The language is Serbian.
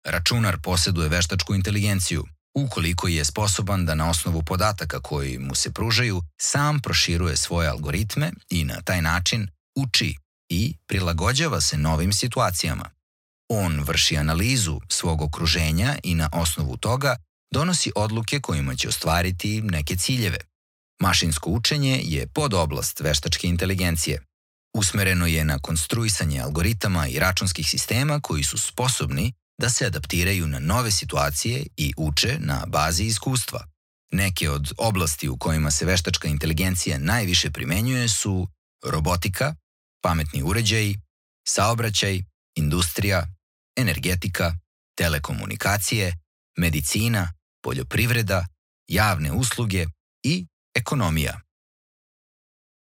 Računar posjeduje veštačku inteligenciju, ukoliko je sposoban da na osnovu podataka koji mu se pružaju sam proširuje svoje algoritme i na taj način uči i prilagođava se novim situacijama. On vrši analizu svog okruženja i na osnovu toga donosi odluke kojima će ostvariti neke ciljeve. Mašinsko učenje je podoblast veštačke inteligencije. Usmereno je na konstruisanje algoritama i računskih sistema koji su sposobni da se adaptiraju na nove situacije i uče na bazi iskustva. Neke od oblasti u kojima se veštačka inteligencija najviše primenjuje su robotika, pametni uređaji, saobraćaj, industrija, energetika, telekomunikacije, medicina, poljoprivreda, javne usluge i ekonomija.